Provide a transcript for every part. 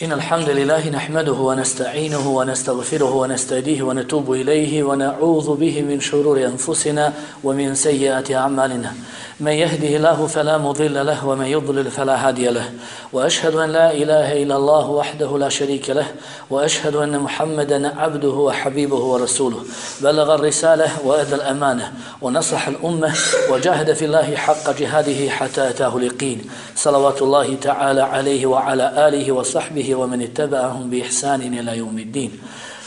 إن الحمد لله نحمده ونستعينه ونستغفره ونستهديه ونتوب إليه ونعوذ به من شرور أنفسنا ومن سيئات أعمالنا من يهده الله فلا مضل له ومن يضلل فلا هادي له وأشهد أن لا إله إلا الله وحده لا شريك له وأشهد أن محمدا عبده وحبيبه ورسوله بلغ الرسالة وأدى الأمانة ونصح الأمة وجاهد في الله حق جهاده حتى أتاه اليقين صلوات الله تعالى عليه وعلى آله وصحبه ومن اتبعهم بإحسان إلى يوم الدين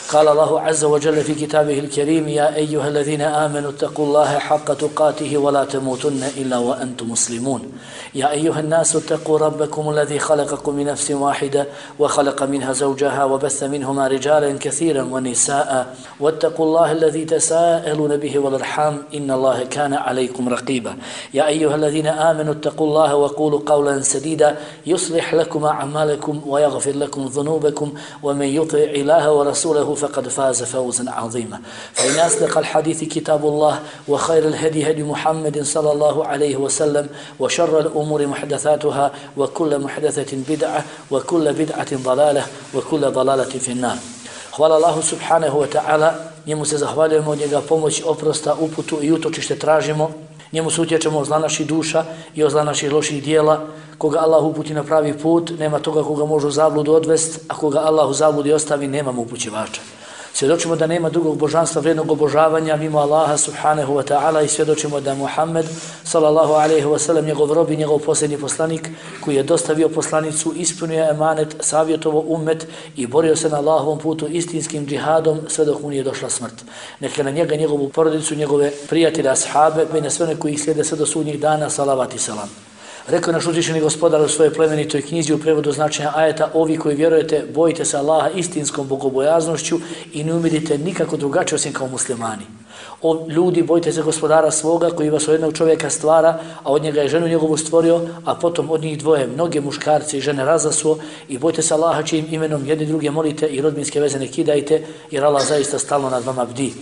قال الله عز وجل في كتابه الكريم يا أيها الذين آمنوا اتقوا الله حق تقاته ولا تموتن إلا وأنتم مسلمون يا أيها الناس اتقوا ربكم الذي خلقكم من نفس واحدة وخلق منها زوجها وبث منهما رجالا كثيرا ونساء واتقوا الله الذي تساءلون به والأرحام إن الله كان عليكم رقيبا يا أيها الذين آمنوا اتقوا الله وقولوا قولا سديدا يصلح لكم أعمالكم ويغفر لكم ذنوبكم ومن يطع الله ورسوله فقد فاز فوزا عظيما فإن أصدق الحديث كتاب الله وخير الهدي هدي محمد صلى الله عليه وسلم وشر الأمور محدثاتها وكل محدثة بدعة وكل بدعة ضلالة وكل ضلالة في النار Hvala Allahu subhanahu wa ta'ala, njemu se zahvaljujemo, od njega pomoć, oprosta, uputu i utočište tražimo, njemu se utječemo od zla naših duša i od zla naših loših dijela, koga Allah uputi na pravi put, nema toga koga može u zabludu odvest, a koga Allah u zabludi ostavi, nema mu upućivača. Svjedočimo da nema drugog božanstva vrijednog obožavanja mimo Allaha subhanahu wa ta'ala i svjedočimo da Muhammed sallallahu alaihi wa sallam njegov rob i njegov posljednji poslanik koji je dostavio poslanicu, ispunio emanet, savjetovo ummet i borio se na Allahovom putu istinskim džihadom sve dok mu nije došla smrt. Neka na njega, njegovu porodicu, njegove prijatelje, ashabe, pa i na sve one koji ih slijede sve do sudnjih dana, salavat i salam. Rekao je naš uzvišeni gospodar u svojoj plemenitoj knjizi u prevodu značenja ajeta: ovi koji vjerujete, bojite se Allaha istinskom bogobojaznošću i ne umirite nikako drugačije osim kao muslimani. O ljudi, bojite se gospodara svoga koji vas od jednog čovjeka stvara, a od njega je ženu njegovu stvorio, a potom od njih dvoje mnoge muškarce i žene razasuo, i bojite se Allaha čijim imenom jedni druge molite i rodbinske veze ne kidajte, jer Allah zaista stalno nad vama bdi.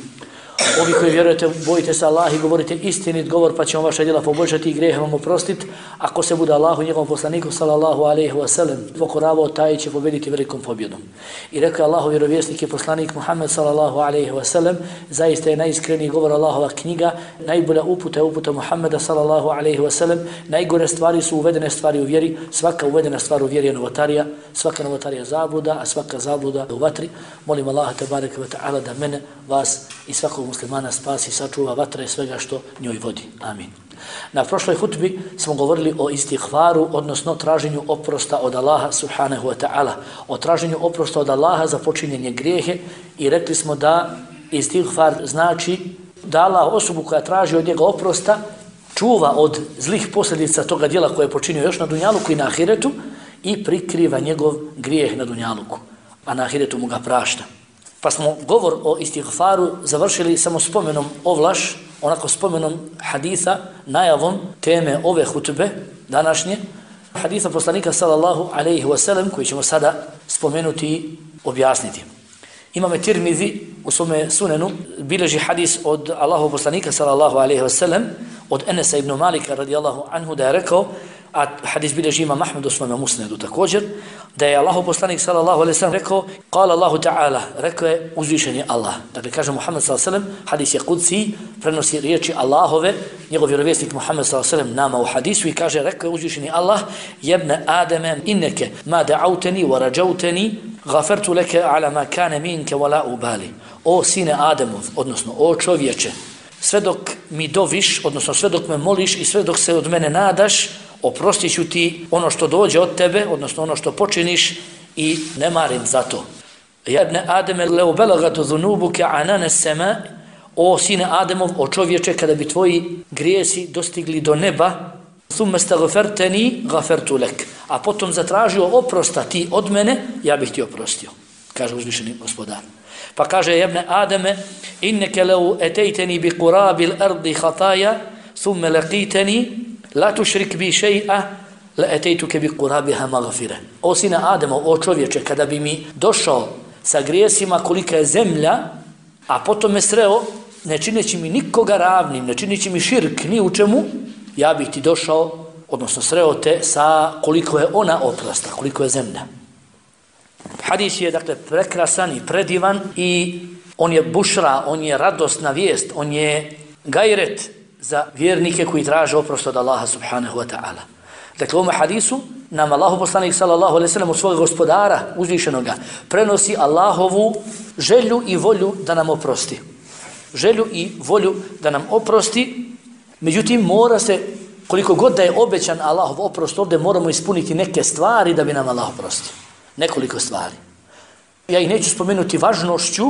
Ovi koji vjerujete, bojite se Allaha i govorite istinit govor, pa će on vaša djela poboljšati i grijehe vam oprostiti. Ako se bude Allahu i njegovom poslaniku sallallahu alejhi ve sellem pokoravao, taj će pobjediti velikom pobjedom. I rekao Allahu vjerovjesnik i poslanik Muhammed sallallahu alejhi ve sellem, zaista je najiskreniji govor Allahova knjiga, najbolja uputa je uputa Muhammeda sallallahu alejhi ve sellem, najgore stvari su uvedene stvari u vjeri, svaka uvedena stvar u vjeri je novotarija, svaka novotarija zabluda, a svaka zabluda u vatri. Molim Allaha tebareke ve taala da mene, vas i svakog muslimana spasi, sačuva vatra i svega što njoj vodi. Amin. Na prošloj hutbi smo govorili o istighfaru, odnosno traženju oprosta od Allaha subhanahu wa ta'ala, o traženju oprosta od Allaha za počinjenje grijehe, i rekli smo da istighfar znači da Allah osobu koja traži od njega oprosta čuva od zlih posljedica toga djela koje je počinio još na dunjaluku i na ahiretu i prikriva njegov grijeh na dunjaluku, a na ahiretu mu ga prašta. Pa smo govor o istighfaru završili samo spomenom ovlaš, onako spomenom haditha, najavom teme ove hutbe današnje, haditha poslanika sallallahu alejhi ve sellem, koji ćemo sada spomenuti i objasniti. Imam Tirmizi u svome sunenu bilježi hadis od Allahov poslanika sallallahu alejhi ve sellem, od Enesa ibn Malika radijallahu anhu, da je rekao, a hadis bilježi Imam Ahmed u svome musnedu također, da je Allahov poslanik sallallahu alejhi ve sellem rekao: "Qala Allahu ta'ala", rekao je uzvišeni Allah. Dakle kaže Muhammed sallallahu alejhi ve sellem, hadis je kudsi, prenosi riječi Allahove, njegov vjerovjesnik Muhammed sallallahu alejhi ve sellem nama u hadisu, i kaže, rekao je uzvišeni Allah: "Jebne Ademe, inneke ma da'auteni wa rajauteni, ghafartu leke ala ma kana minke wa la ubali." O sine Ademov, odnosno o čovječe, sve dok mi doviš, odnosno sve dok me moliš i sve dok se od mene nadaš, oprostit ću ti ono što dođe od tebe, odnosno ono što počiniš, i ne marim za to. Ja ibn Ademe, leo belagatu dhunubuke anane sema, o sine Ademov, o čovječe, kada bi tvoji grijesi dostigli do neba, thumme stagferteni gafertu lek, a potom zatražio oprosta ti od mene, ja bih ti oprostio, kaže uzvišeni gospodar. Pa kaže jebne Ademe, inneke leu etejteni bi kurabil ardi hataja, thumme laqiteni, la tušrik bi še'a, la etejtuke bi kurabiha magfire. O sine Ademo, o čovječe, kada bi mi došao sa grijesima kolika je zemlja, a potom me sreo, ne čineći mi nikoga ravnim, ne čineći mi širk ni u čemu, ja bih ti došao, odnosno sreo te sa koliko je ona oprosta, koliko je zemlja. Hadis je dakle prekrasan i predivan i on je bušra, on je radosna vijest, on je gajret za vjernike koji traže oprost od Allaha subhanahu wa ta'ala. Dakle, u ovom hadisu nam Allahu poslanik sallallahu alejhi ve sellem od svog gospodara uzvišenoga prenosi Allahovu želju i volju da nam oprosti. Želju i volju da nam oprosti, međutim mora se, koliko god da je obećan Allahov oprost, ovdje moramo ispuniti neke stvari da bi nam Allah oprostio. Nekoliko stvari. Ja ih neću spomenuti važnošću,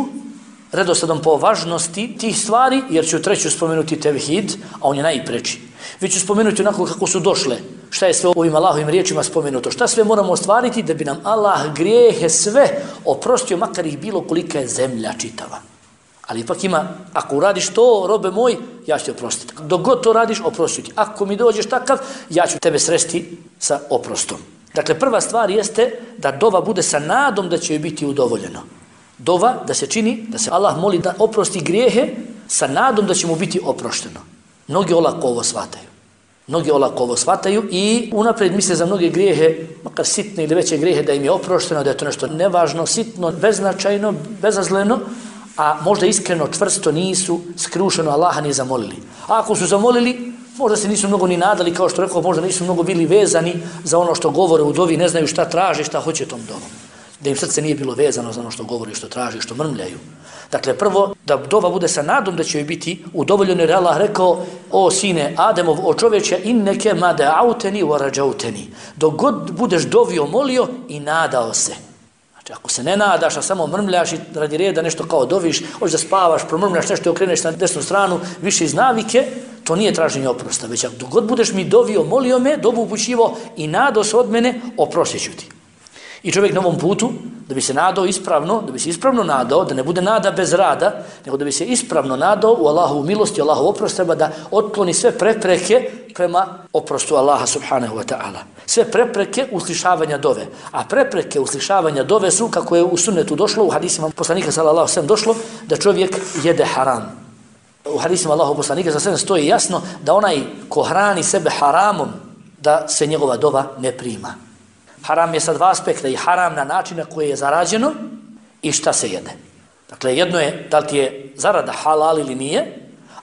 redosledom po važnosti tih stvari, jer ću treću spomenuti tevhid, a on je najpreči. Već ću spomenuti onako kako su došle, šta je sve ovim Allahovim riječima spomenuto, šta sve moramo ostvariti da bi nam Allah grijehe sve oprostio, makar ih bilo kolika je zemlja čitava. Ali ipak ima, ako uradiš to, robe moj, ja ću te oprostiti. Dok god to radiš, oprostit ću ti. Ako mi dođeš takav, ja ću tebe sresti sa oprostom. Dakle, prva stvar jeste da dova bude sa nadom da će joj biti udovoljeno. Dova da se čini, da se Allah moli da oprosti grijehe sa nadom da će mu biti oprošteno. Mnogi olako ovo shvataju. Mnogi olako ovo shvataju i unaprijed misle za mnoge grijehe, makar sitne ili veće grijehe, da im je oprošteno, da je to nešto nevažno, sitno, beznačajno, bezazleno, a možda iskreno, čvrsto nisu skrušeno Allaha ni zamolili. A ako su zamolili, možda se nisu mnogo ni nadali, kao što rekao, možda nisu mnogo bili vezani za ono što govore u dovi, ne znaju šta traže, šta hoće tom dovom. Da im srce nije bilo vezano za ono što govori, što traži, što mrmljaju. Dakle, prvo, da dova bude sa nadom da će joj biti udovoljeno, jer Allah rekao, o sine Ademov, o čoveče, inneke ma da'auteni wa rađauteni. Dok god budeš dovio, molio i nadao se. Znači, ako se ne nadaš, a samo mrmljaš i radi reda nešto kao doviš, hoćeš da spavaš, promrmljaš nešto i okreneš na desnu stranu, više iz navike, to nije traženje oprosta, već ako dok god budeš mi dovio, molio me, dobu upućivo i nadao se od mene, oprostit ću ti. I čovjek na ovom putu, da bi se nadao ispravno, da bi se ispravno nadao, da ne bude nada bez rada, nego da bi se ispravno nadao u Allahovu milosti, Allahov oprost, treba da otkloni sve prepreke prema oprostu Allaha subhanahu wa ta'ala. Sve prepreke uslišavanja dove. A prepreke uslišavanja dove su, kako je u sunnetu došlo, u hadisima poslanika sallallahu alejhi ve sellem došlo, da čovjek jede haram. U hadisima Allahov poslanika sallallahu alejhi ve sellem stoji jasno da onaj ko hrani sebe haramom, da se njegova dova ne prima. Haram je sa dva aspekta, i haram na način na koji je zarađeno i šta se jede. Dakle, jedno je da li ti je zarada halal ili nije.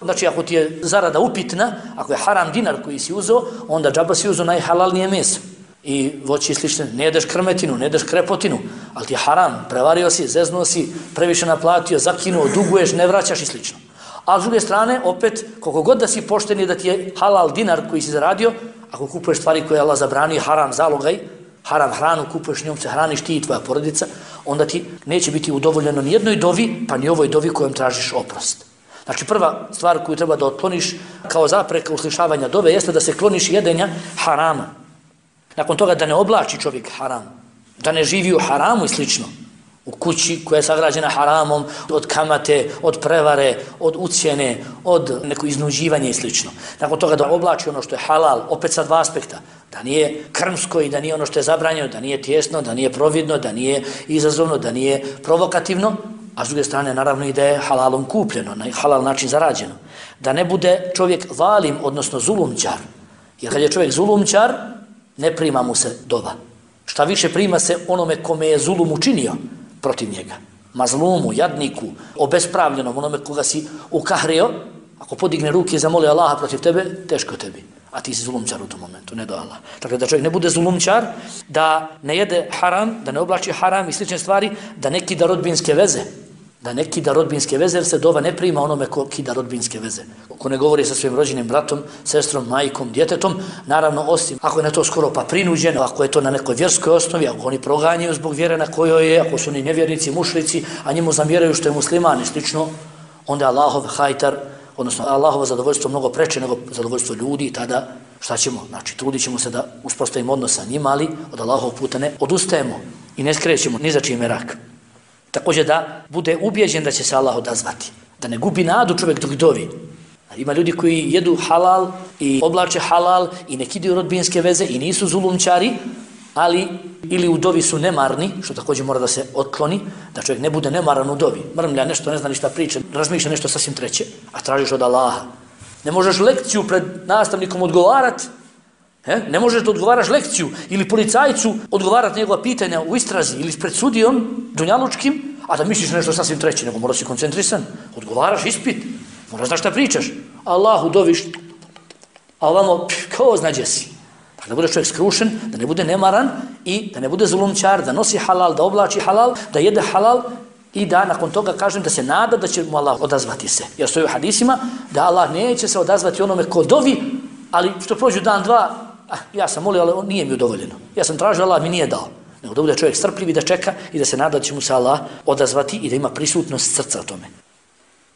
Znači, ako ti je zarada upitna, ako je haram dinar koji si uzeo, onda džaba si uzeo najhalalnije meso. I voći slične, ne jedeš krmetinu, ne jedeš krepotinu, ali ti je haram, prevario si, zeznuo si, previše naplatio, zakinuo, duguješ, ne vraćaš i slično. A s druge strane, opet, koliko god da si pošten i da ti je halal dinar koji si zaradio, ako kupuješ stvari koje Allah zabranio, haram zalogaj, haram hranu, kupuješ njom se hraniš ti i tvoja porodica, onda ti neće biti udovoljeno ni jednoj dovi, pa ni ovoj dovi kojom tražiš oprost. Znači, prva stvar koju treba da otkloniš kao zapreka uslišavanja dove jeste da se kloniš jedenja harama. Nakon toga da ne oblači čovjek haram, da ne živi u haramu i slično. U kući koja je sagrađena haramom, od kamate, od prevare, od ucjene, od neko iznuđivanja i slično. Nakon toga da oblači ono što je halal, opet sa dva aspekta. Da nije krmsko i da nije ono što je zabranjeno, da nije tijesno, da nije providno, da nije izazovno, da nije provokativno, a s druge strane naravno i da je halalom kupljeno, na halal način zarađeno. Da ne bude čovjek zalim, odnosno zulumčar. Jer kad je čovjek zulumčar, ne prima mu se dova. Šta više prima se onome kome je zulum učinio protiv njega. Mazlumu, jadniku, obespravljenom, onome koga si ukahrio, ako podigne ruke i zamoli Allaha protiv tebe, teško tebi. A ti si zulumčar u tom momentu, ne do Allah. Dakle, da čovjek ne bude zulumčar, da ne jede haram, da ne oblači haram i slične stvari, da ne kida rodbinske veze. Da ne kida rodbinske veze, jer se dova ne prima onome ko kida rodbinske veze. Ko ne govori sa svojim rođenim bratom, sestrom, majkom, djetetom, naravno osim ako je na to skoro pa prinuđeno, ako je to na nekoj vjerskoj osnovi, ako oni proganjaju zbog vjere na kojoj je, ako su oni nevjernici, mušrici, a njemu zamjeraju što je musliman i slično, onda Allahov hajtar, odnosno Allahovo zadovoljstvo mnogo preče nego zadovoljstvo ljudi, tada šta ćemo? Znači, trudit ćemo se da uspostavimo odnos sa njima, ali od Allahovog puta ne odustajemo i ne skrećemo ni za čiji merak. Također da bude ubijeđen da će se Allah odazvati. Da ne gubi nadu čovjek dok dovi. Ima ljudi koji jedu halal i oblače halal i ne kidaju rodbinske veze i nisu zulumčari, ali ili u dovi su nemarni, što također mora da se otkloni, da čovjek ne bude nemaran u dovi. Mrmlja nešto, ne zna ništa priča, razmišlja nešto sasvim treće, a tražiš od Allaha. Ne možeš lekciju pred nastavnikom odgovarati, Ne možeš da odgovaraš lekciju ili policajcu odgovarati njegova pitanja u istrazi ili pred sudijom dunjalučkim, a da misliš nešto sasvim treće, nego moraš si koncentrisan. Odgovaraš ispit, moraš znaš šta pričaš. Allahu doviš, a ovamo kao znađe si. Da bude čovjek skrušen, da ne bude nemaran i da ne bude zulumčar, da nosi halal, da oblači halal, da jede halal i da nakon toga kažem da se nada da će mu Allah odazvati se. Jer stoji u hadisima da Allah neće se odazvati onome ko dovi, ali što prođu dan, dva, ja sam molio, ali nije mi udovoljeno. Ja sam tražio, Allah mi nije dao. Nego da bude čovjek strpljiv i da čeka i da se nada da će mu se Allah odazvati i da ima prisutnost srca o tome.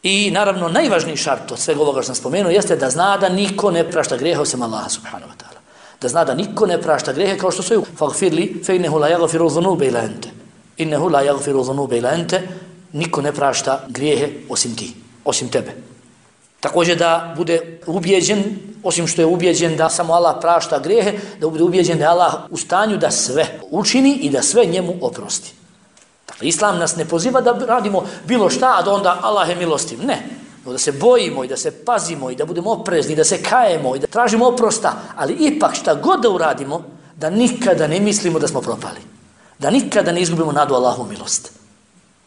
I naravno najvažniji šart od svega ovoga što sam spomenuo jeste da zna da niko ne prašta grijehe osim Allaha subhanahu wa ta'ala. Da zna da niko ne prašta grijehe kao što stoji faghfirli fe innehu la yaghfiru dhunuba illa ente. Innehu la yaghfiru dhunuba illa ente. Niko ne prašta grijehe osim ti, osim tebe. Također da bude ubijeđen, osim što je ubijeđen da samo Allah prašta grijehe, da bude ubijeđen da je Allah u stanju da sve učini i da sve njemu oprosti. Dakle, Islam nas ne poziva da radimo bilo šta, a da onda Allah je milostiv. Ne. Da se bojimo i da se pazimo i da budemo oprezni, da se kajemo i da tražimo oprosta, ali ipak šta god da uradimo, da nikada ne mislimo da smo propali. Da nikada ne izgubimo nadu Allahu milost.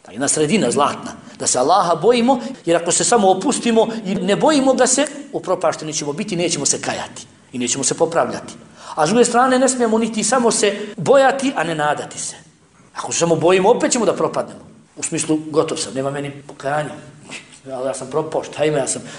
Ta jedna sredina zlatna, da se Allaha bojimo, jer ako se samo opustimo i ne bojimo ga se, upropašteni ćemo biti, nećemo se kajati i nećemo se popravljati. A s druge strane ne smijemo niti samo se bojati, a ne nadati se. Ako se samo bojimo, opet ćemo da propadnemo. U smislu, gotov sam, nema meni pokajanja. Ja sam propao, šta ima,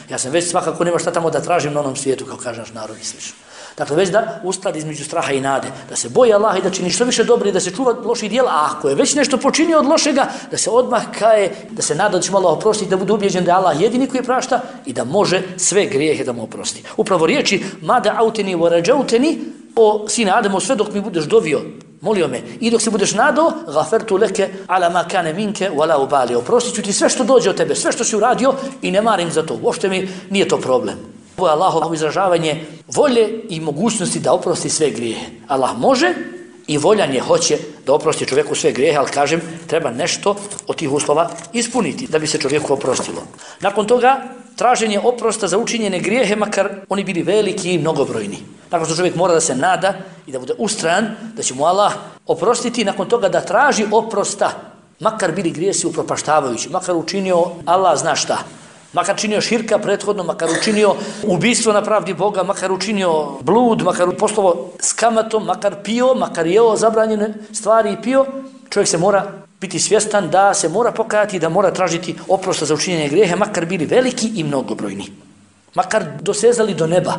ja sam već svakako nema šta tamo da tražim na onom svijetu, kao kaže naš narod i slično. Dakle, već da uskladi između straha i nade, da se boji Allaha i da čini što više dobro i da se čuva loših djela, a ako je već nešto počinio od lošega, da se odmah kaje, da se nada da će mu Allah oprostiti, da bude ubijeđen da je Allah jedini koji prašta i da može sve grijehe da mu oprosti. Upravo riječi, mada auteni wa rađauteni, o sine Ademo, sve dok mi budeš dovio, molio me, i dok se budeš nadao, gafertu leke ala ma kane minke wala ubali, oprostit ću ti sve što dođe od tebe, sve što si uradio i ne marim za to, uopšte mi nije to problem. Ovo je Allahovo izražavanje volje i mogućnosti da oprosti sve grijehe. Allah može i voljan je, hoće da oprosti čovjeku sve grijehe, ali kažem, treba nešto od tih uslova ispuniti da bi se čovjeku oprostilo. Nakon toga, traženje oprosta za učinjene grijehe, makar oni bili veliki i mnogobrojni. Nakon što čovjek mora da se nada i da bude ustrajan, da će mu Allah oprostiti, nakon toga da traži oprosta, makar bili grijesi upropaštavajući, makar učinio Allah zna šta. Makar činio širka prethodno, makar učinio ubistvo na pravdi Boga, makar učinio blud, makar poslovo s kamatom, makar pio, makar jeo zabranjene stvari i pio, čovjek se mora biti svjestan da se mora pokajati, da mora tražiti oprosta za učinjenje grijehe, makar bili veliki i mnogobrojni. Makar dosezali do neba.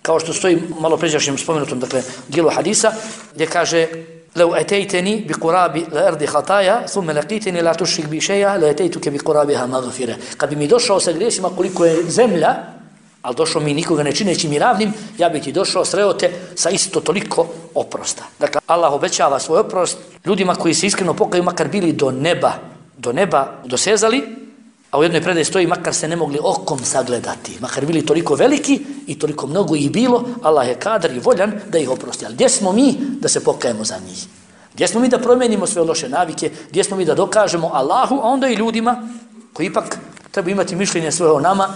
Kao što stoji malo pređašnjem spomenutom, dakle, dijelu hadisa, gdje kaže لو أتيتني بقراب الأرض خطايا ثم لقيتني لا تشرك بي شيئا لأتيتك بقرابها مغفرة. Kad bi mi došao sa grijesima koliko je zemlja, ali došao mi nikoga ne čineći mi ravnim, ja bih ti došao, sreo te sa isto toliko oprosta. Dakle, Allah obećava svoj oprost ljudima koji se iskreno pokaju, makar bili do neba dosezali, a u jednoj predaji stoji makar se ne mogli okom sagledati, makar bili toliko veliki i toliko mnogo ih bilo, Allah je kadar i voljan da ih oprosti. Ali gdje smo mi da se pokajemo za njih? Gdje smo mi da promijenimo sve loše navike? Gdje smo mi da dokažemo Allahu, a onda i ljudima koji ipak treba imati mišljenje svoje o nama,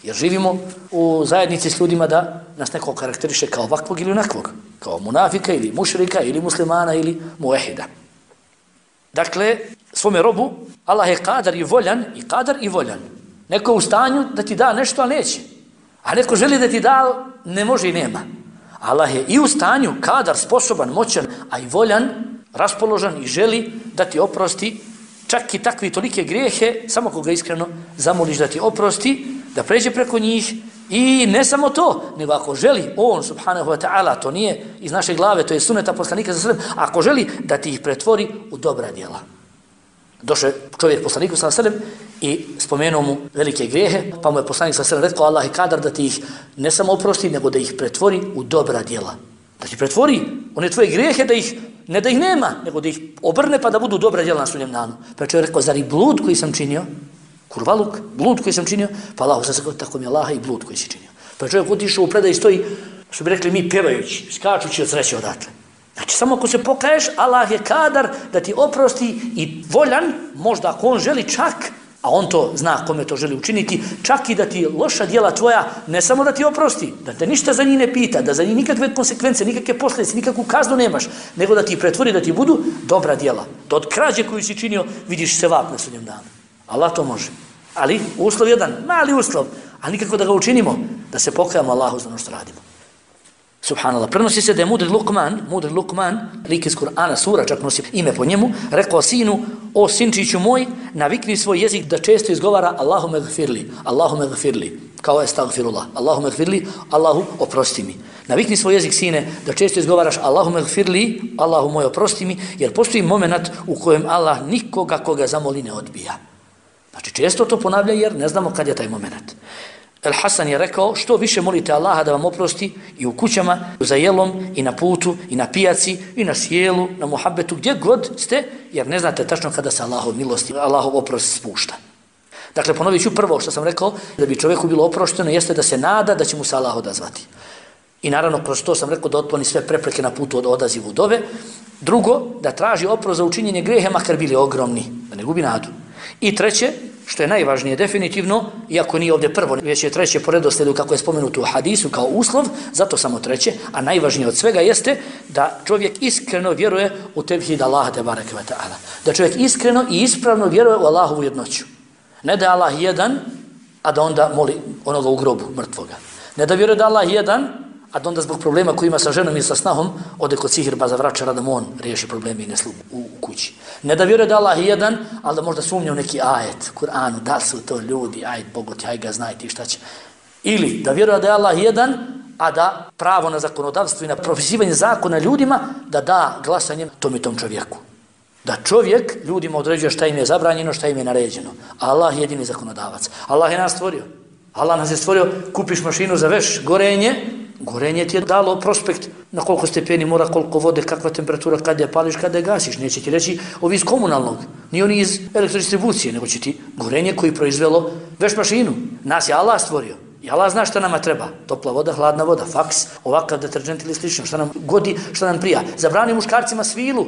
jer živimo u zajednici s ljudima da nas neko karakteriše kao ovakvog ili onakvog, kao munafika ili mušrika ili muslimana ili muehida. Dakle, svome robu Allah je kadar i voljan. Neko je u stanju da ti da nešto, ali neće. A neko želi da ti da, ne može i nema. Allah je i u stanju, kadar, sposoban, moćan, a i voljan, raspoložen i želi da ti oprosti čak i takve tolike grijehe, samo koga iskreno zamoliš da ti oprosti, da pređe preko njih. I ne samo to, nego ako želi on, subhanahu wa ta'ala, to nije iz naše glave, to je suneta poslanika sa sallam, ako želi da ti ih pretvori u dobra djela. Došao je čovjek poslaniku sa sallam i spomenuo mu velike grijehe, pa mu je poslanik sa sallam rekao, Allah je kadar da ti ih ne samo oprosti, nego da ih pretvori u dobra djela. Da ti pretvori one tvoje grijehe, ne da ih nema, nego da ih obrne pa da budu dobra djela na sudnjem danu. Pa je čovjek rekao, zar i blud koji sam činio, kurvaluk, blud koji sam činio, pa Allah sam se rekao, tako mi je Allaha i blud koji si činio. Pa je čovjek otišao u predaj i stoji, što bi rekli mi pevajući, skačući od sreće odatle. Znači, samo ako se pokaješ, Allah je kadar da ti oprosti i voljan, možda ako on želi čak, A on to zna kome to želi učiniti, čak i da ti loša djela tvoja, ne samo da ti oprosti, da te ništa za njih ne pita, da za njih nikakve konsekvence, nikakve posljedice, nikakvu kaznu nemaš, nego da ti pretvori, da ti budu dobra djela. Da od krađe koju si činio vidiš sevap na sudnjem danu. Allah to može. Ali uslov jedan, mali uslov, a nikako da ga učinimo, da se pokajamo Allahu za ono što radimo. Subhanallah. Prenosi se da je mudri Lukman, lik iz Kur'ana, sura, čak nosi ime po njemu, rekao sinu, o sinčiću moj, navikni svoj jezik da često izgovara Allahume gfirli, kao estagfirullah, Allahume gfirli, Allahu oprosti mi. Navikni svoj jezik, sine, da često izgovaraš Allahume gfirli, Allahu moj oprosti mi, jer postoji moment u kojem Allah nikoga koga zamoli ne odbija. Znači često to ponavlja jer ne znamo kad je taj moment. El Hasan je rekao, što više molite Allaha da vam oprosti i u kućama, za jelom, i na putu, i na pijaci, i na sjelu, na muhabbetu, gdje god ste, jer ne znate tačno kada se Allahov milosti, Allahov oprost spušta. Dakle, ponovit ću prvo što sam rekao, da bi čovjeku bilo oprošteno, jeste da se nada da će mu se Allah odazvati. I naravno, kroz to sam rekao da otkloni sve prepreke na putu od odazivu dove. Drugo, da traži oprost za učinjenje grehe, makar bili ogromni, da ne gubi nadu. I treće, što je najvažnije definitivno, iako nije ovdje prvo, već je treće po redoslijedu kako je spomenuto u hadisu kao uslov, zato samo treće, a najvažnije od svega jeste da čovjek iskreno vjeruje u tevhid Allaha te bareke ve taala. Da čovjek iskreno i ispravno vjeruje u Allahovu jednoću. Ne da je Allah jedan, a da onda moli onoga u grobu mrtvoga. Ne da vjeruje da Allah jedan, a da onda zbog problema koji ima sa ženom i sa snahom ode kod sihirbaza vračara da mu on riješi probleme i neslu u kući. Ne da vjeruje da Allah je jedan, ali da možda sumnja u neki ajet, Kur'anu, da su to ljudi, ajet Bogoti, aj ga znaj ti šta će. Ili da vjeruje da je Allah jedan, a da pravo na zakonodavstvo i na propisivanje zakona ljudima, da da glasanjem tom čovjeku. Da čovjek ljudima određuje šta im je zabranjeno, šta im je naređeno. Allah je jedini zakonodavac. Allah je nas stvorio. Allah nas je stvorio, kupiš mašinu za veš, gorenje ti je dalo prospekt na koliko stepeni mora, koliko vode, kakva temperatura, kada je pališ, kada je gasiš. Neće ti reći ovi iz komunalnog, ni oni iz elektrodistribucije, nego će ti gorenje koji proizvelo veš mašinu. Nas je Allah stvorio. I Allah zna šta nama treba. Topla voda, hladna voda, faks, ovakav deterđent ili slično, šta nam godi, šta nam prija. Zabranio muškarcima svilu,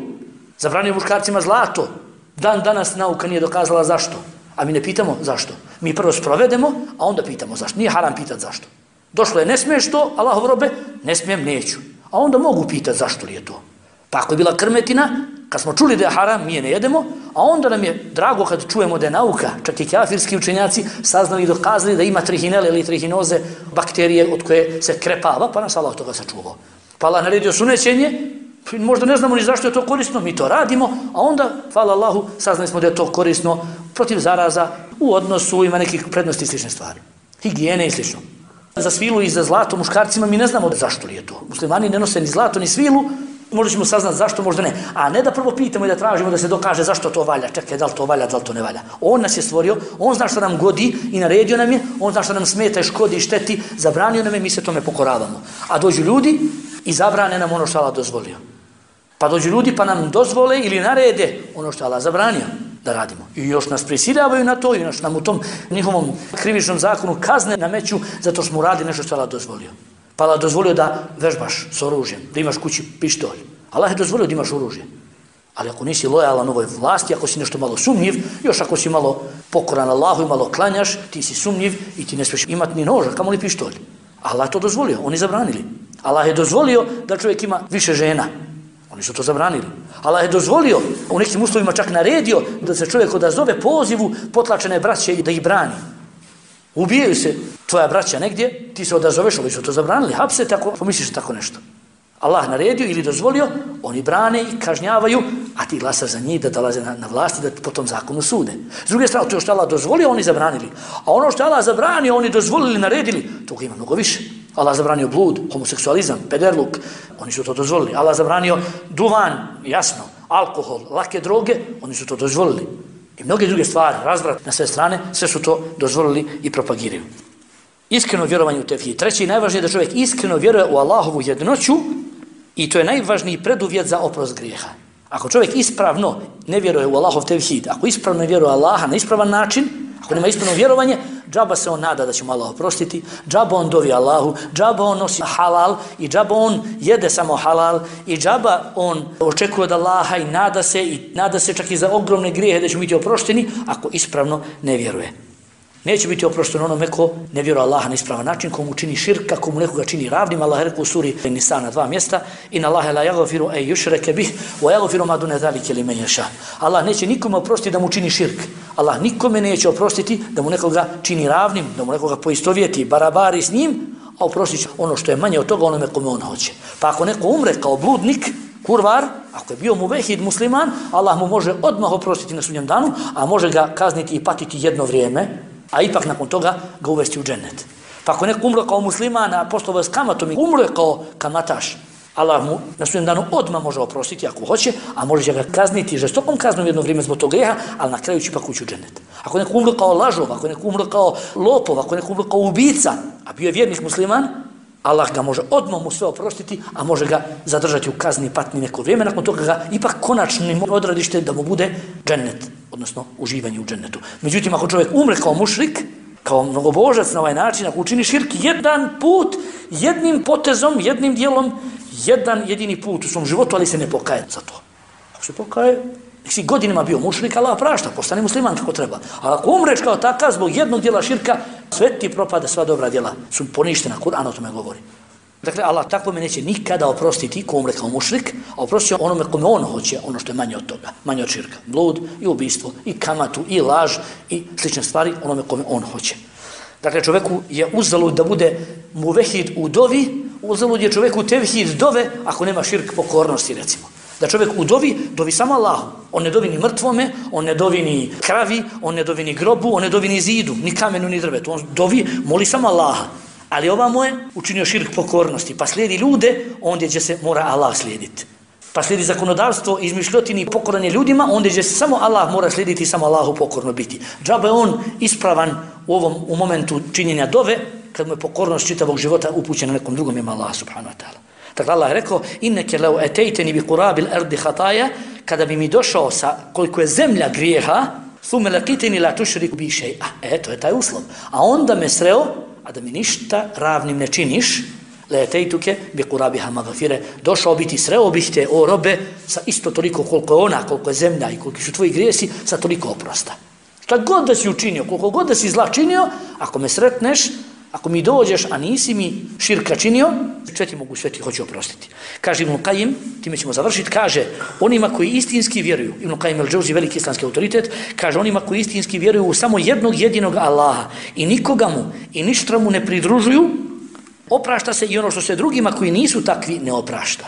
zabranio muškarcima zlato. Dan danas nauka nije dokazala zašto. A mi ne pitamo zašto. Mi prvo sprovedemo, a onda pitamo zašto. Nije haram pitati zašto. Došlo je, ne smiješ to, Allahov robe, ne smijem, neću. A onda mogu pitati zašto li je to. Pa ako je bila krmetina, kad smo čuli da je haram, mi je ne jedemo, a onda nam je drago kad čujemo da je nauka, čak i kafirski učenjaci saznali i dokazali da ima trihinele ili trihinoze, bakterije od koje se krepava, pa nas Allah toga sačuvao. Pa Allah naredio sunećenje, možda ne znamo ni zašto je to korisno, mi to radimo, a onda, hvala Allahu, saznali smo da je to korisno protiv zaraza, u odnosu, ima nekih prednosti i slične stvari. Higijene i slično. Za svilu i za zlato muškarcima mi ne znamo zašto li je to. Muslimani ne nose ni zlato ni svilu, možda ćemo saznati zašto, možda ne. A ne da prvo pitamo i da tražimo da se dokaže zašto to valja. Čekaj, da li to valja, da li to ne valja. On nas je stvorio, on zna što nam godi i naredio nam je, on zna što nam smeta i škodi i šteti, zabranio nam je, mi se tome pokoravamo. A dođu ljudi i zabrane nam ono što Allah dozvolio. Pa dođu ljudi pa nam dozvole ili narede ono što Allah zabranio da radimo. I još nas prisiljavaju na to i još nam u tom njihovom krivičnom zakonu kazne nameću zato što smo uradili nešto što Allah dozvolio. Pa Allah dozvolio da vežbaš s oružjem, da imaš kući pištolj. Allah je dozvolio da imaš oružje. Ali ako nisi lojalan ovoj vlasti, ako si nešto malo sumnjiv, još ako si malo pokoran Allahu i malo klanjaš, ti si sumnjiv i ti ne smiješ imati ni noža, kamo li pištolj. Allah je to dozvolio, oni zabranili. Allah je dozvolio da čovjek ima više žena. Oni su to zabranili. Allah je dozvolio, u nekim uslovima čak naredio da se čovjek odazove pozivu potlačene braće i da ih brani. Ubijaju se tvoja braća negdje, ti se odazoveš, ali su to zabranili. Hapse tako, pomisliš tako nešto. Allah naredio ili dozvolio, oni brane i kažnjavaju, a ti glasaš za njih da dolaze na vlasti, da po tom zakonu sude. S druge strane, to što Allah dozvolio, oni zabranili. A ono što Allah zabranio, oni dozvolili, naredili, toga ima mnogo više. Allah zabranio blud, homoseksualizam, pederluk, oni su to dozvolili. Allah zabranio duvan, jasno, alkohol, lake droge, oni su to dozvolili. I mnoge druge stvari, razvrat na sve strane, sve su to dozvolili i propagiraju. Iskreno vjerovanje u tevhid. Treći i najvažnije je da čovjek iskreno vjeruje u Allahovu jednoću i to je najvažniji preduvjet za oprost grijeha. Ako čovjek ispravno ne vjeruje u Allahov tevhid, ako ispravno ne vjeruje u Allaha na ispravan način, ako nema ispravno vjerovanje, džaba se on nada da će mu Allah oprostiti, džaba on dovi Allahu, džaba on nosi halal i džaba on jede samo halal i džaba on očekuje od Allaha i nada se čak i za ogromne grijehe da će biti oprošteni ako ispravno ne vjeruje. Neće biti oprošteno onome ko ne vjeruje Allaha na ispravan način, komu čini širka, komu nekoga čini ravnim. Allah je rekao u suri Nisa na 2 mjesta: Inna Allahe la yaghfiru an yushraka bih wa yaghfiru ma duna zalika liman yasha. Allah neće nikome oprostiti da mu čini širk. Allah nikome neće oprostiti da mu nekoga čini ravnim, da mu nekoga poistovjeti, barabari s njim, a oprostit će ono što je manje od toga onome kome on hoće. Pa ako neko umre kao bludnik, kurvar, ako je bio muvehid musliman, Allah mu može odmah oprostiti na sudnjem danu, a može ga kazniti i patiti jedno vrijeme, a ipak nakon toga ga uvesti u džennet. Pa ako neko umro kao musliman, a poslovao s kamatom i umro kao kamataš, Allah mu na sudnjem danu odmah može oprostiti ako hoće, a može ga kazniti žestokom kaznom jedno vrijeme zbog tog grijeha, ali na kraju će ipak ući u džennet. Ako neko umro kao lažov, ako neko umro kao lopov, ako neko umro kao ubica, a bio je vjernik musliman, Allah ga može odmah mu sve oprostiti, a može ga zadržati u kazni i patnji neko vrijeme, nakon toga ga ipak konačnim odradište da mu bude džennet, odnosno uživanje u džennetu. Međutim, ako čovjek umre kao mušrik, kao mnogobožac na ovaj način, ako učini širk jedan put, jednim potezom, jednim dijelom, jedan jedini put u svom životu, ali se ne pokaje za to. Ako se pokaje, nek si godinama bio mušrik, Allah prašta, postane musliman kako treba. Ali ako umreš kao takav zbog jednog dijela širka, sve ti propada, sva dobra djela su poništena, Kur'an o tome govori. Dakle, Allah tako me neće nikada oprostiti ko umre kao mušrik, a oprostiti onome kome on hoće, ono što je manje od toga, manje od širka. Blud i ubistvo, i kamatu, i laž, i slične stvari, onome kome on hoće. Dakle, čovjeku je uzalud da bude muvehid u dovi, uzalud je čovjeku tevhid dove, ako nema širk pokornosti, recimo. Da čovjek u dovi samo Allahu. On ne dovi ni mrtvome, on ne dovi ni kravi, on ne dovi ni grobu, on ne dovi ni zidu, ni kamenu, ni drvetu. On dovi, moli samo Allaha. Ali ovamo je učinio širk pokornosti, pa slijedi ljude, ondje gdje se mora Allah slijediti. Pa slijedi zakonodavstvo, izmišljotini i pokoranje ljudima, ondje gdje se samo Allah mora slijediti i samo Allahu pokorno biti. Džaba je on ispravan u momentu činjenja dove, kad mu je pokornost čitavog života upućena nekom drugom ima Allah subhanahu wa ta'ala. Dakle, Allah je rekao: inneke leu etejteni bi kurabil ardi hataja, kada bi mi došao sa koliko je zemlja grijeha, thume lakiteni la tušriku bi še'a. To je taj uslov. A onda me sreo, a da mi ništa ravnim ne činiš, le etejtuke bi kurabiha magafire, došao biti, sreo bih te, o robe, sa isto toliko koliko je ona, koliko je zemlja i koliko su tvoji grijesi, sa toliko oprosta. Šta god da si učinio, koliko god da si zla činio, ako me sretneš, ako mi dođeš, a nisi mi širka činio, sve ti mogu, sve ti hoću oprostiti. Kaže Ibn Kajim, time ćemo završiti, kaže onima koji istinski vjeruju, Ibn Kajim el-Džauzi, veliki islamski autoritet, kaže onima koji istinski vjeruju u samo jednog jedinog Allaha i nikoga mu i ništa mu ne pridružuju, oprašta se i ono što se drugima koji nisu takvi ne oprašta.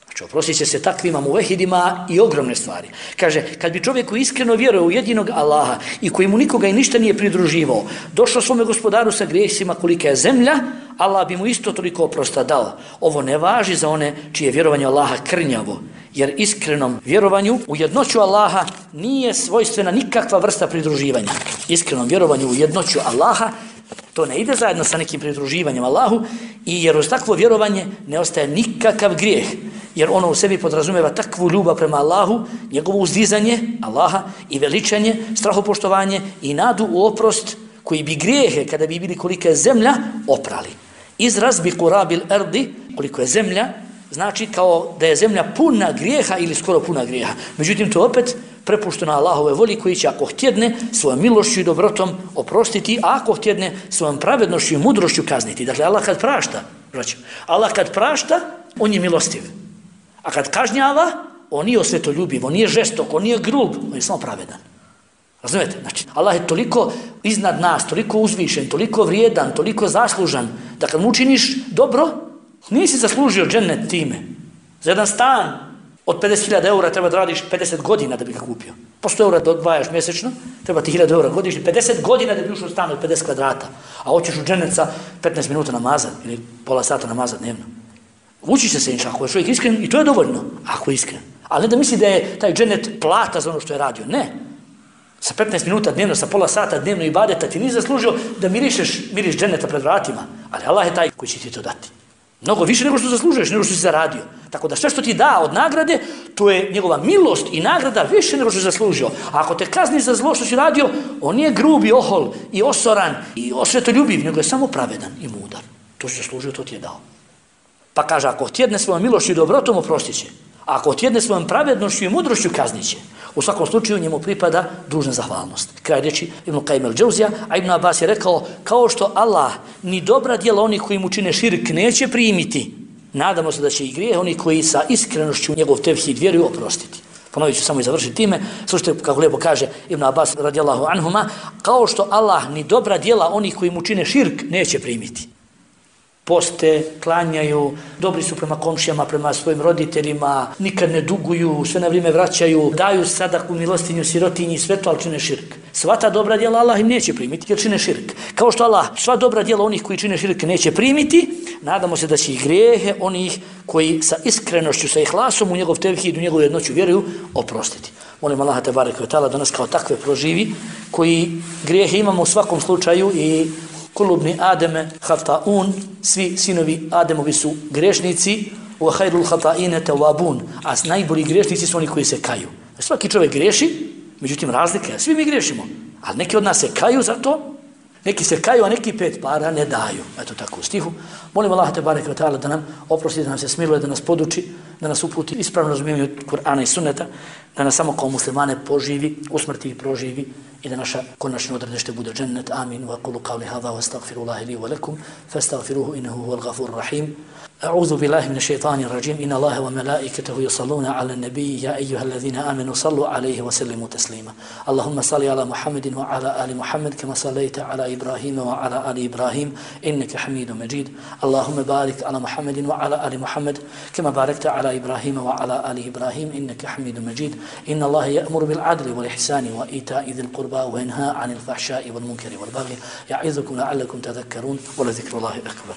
Znači, oprostit će se takvima muvehidima i ogromne stvari. Kaže, kad bi čovjek koji iskreno vjeruje u jedinog Allaha i koji mu nikoga i ništa nije pridruživao, došao svome gospodaru sa grijesima kolika je zemlja, Allah bi mu isto toliko oprosta dao. Ovo ne važi za one čije vjerovanje Allaha krnjavo, jer iskrenom vjerovanju u jednoću Allaha nije svojstvena nikakva vrsta pridruživanja. Iskrenom vjerovanju u jednoću Allaha to ne ide zajedno sa nekim pridruživanjem Allahu, i jer uz takvo vjerovanje ne ostaje nikakav grijeh, jer ono u sebi podrazumijeva takvu ljubav prema Allahu, njegovo uzdizanje Allaha i veličanje, strahopoštovanje i nadu u oprost koji bi grijehe, kada bi bili kolika je zemlja, oprali. Izraz bi kurabil ardi, koliko je zemlja, znači kao da je zemlja puna grijeha ili skoro puna grijeha. Međutim, to opet prepušteno Allahove voli koji će, ako htjedne, svojom milošću i dobrotom oprostiti, a ako htjedne, svojom pravednošću i mudrošću kazniti. Dakle, Allah kad prašta, Allah kad prašta, on je milostiv. A kad kažnjava, on nije osvetoljubiv, on nije žestok, on nije grub, on je samo pravedan. Razumijete? Znači, Allah je toliko iznad nas, toliko uzvišen, toliko vrijedan, toliko zaslužan, da kad mu učiniš dobro, nisi zaslužio džennet time. Za jedan stan od 50.000 eura treba da radiš 50 godina da bi ga kupio. Po 100 eura da odvajaš mjesečno, treba ti 1000 eura godišnje, 50 godina da bi ušao u stan od 50 kvadrata, a hoćeš u džennet sa 15 minuta namaza ili pola sata namaza dnevno. Učiš se inša, ako je čovjek iskren, i to je dovoljno, ako je iskren. Ali ne da misli da je taj džennet plata za ono što je radio, ne. Sa 15 minuta dnevno, sa pola sata dnevno ibadeta ti nisi zaslužio da miriš dženeta pred vratima, ali Allah je taj koji će ti to dati. Mnogo više nego što zaslužuješ, nego što si zaradio. Tako da sve što ti da od nagrade, to je njegova milost i nagrada više nego što si zaslužio. A ako te kazni za zlo što si radio, on nije grub i ohol i osoran i osvetoljubiv, nego je samo pravedan i mudar. To si zaslužio, to ti je dao. Pa kaže, ako tjedne svojom milošću i dobrotom, oprostit će. A ako tjedne svojom pravednošću i mudrošću, kaznit će. U svakom slučaju njemu pripada dužna zahvalnost. Kraj reči Ibn Qayyim al-Džauzija, a Ibn Abbas je rekao, kao što Allah ni dobra djela onih koji mu čine širk neće primiti, nadamo se da će i grijeh oni koji sa iskrenošću njegov tevhid vjeruju oprostiti. Ponovit ću samo i završiti time. Slušajte kako lijepo kaže Ibn Abbas radijallahu anhuma, kao što Allah ni dobra djela onih koji mu čine širk neće primiti. Poste, klanjaju, dobri su prema komšijama, prema svojim roditeljima, nikad ne duguju, sve na vrijeme vraćaju, daju sadaku milostinju sirotinji, sve to, ali čine širk. Sva ta dobra djela Allah im neće primiti jer čine širk. Kao što Allah sva dobra djela onih koji čine širk neće primiti, nadamo se da će i grijehe onih koji sa iskrenošću, sa ihlasom u njegov tevhid, u njegovu jednoću vjeruju, oprostiti. Molim Allaha te bareke ve taala da nas kao takve proživi, koji grijehe imamo u svakom slučaju i kulubni Ademe hataun, svi sinovi Ademovi su grešnici, wa khairul khata'ine tawabun, a najbolji grešnici su oni koji se kaju. Svaki čovjek greši, međutim razlika je, svi mi grešimo, ali neki od nas se kaju za to, neki se kaju, a neki 5 para ne daju. Eto tako u stihu. Molim Allah te bareke ve taala da nam oprosti, da nam se smiluje, da nas poduči, da nas uputi ispravno razumijevanje Kur'ana i Sunneta, da nas samo kao muslimane poživi, usmrti i proživi i da naša konačno odredište bude džennet. Amin. Wa qulu qawli hadha wa astaghfirullaha li wa lakum fastaghfiruhu innahu huwal ghafurur rahim. أعوذ بالله من الشيطان الرجيم إن الله وملائكته يصلون على النبي يا أيها الذين آمنوا صلوا عليه وسلموا تسليما اللهم صل على محمد وعلى آل محمد كما صليت على إبراهيم وعلى آل إبراهيم إنك حميد مجيد اللهم بارك على محمد وعلى آل محمد كما باركت على إبراهيم وعلى آل إبراهيم إنك حميد مجيد إن الله يأمر بالعدل والإحسان وإيتاء ذي القربى وينهى عن الفحشاء والمنكر والبغي يعظكم لعلكم تذكرون ولذكر الله أكبر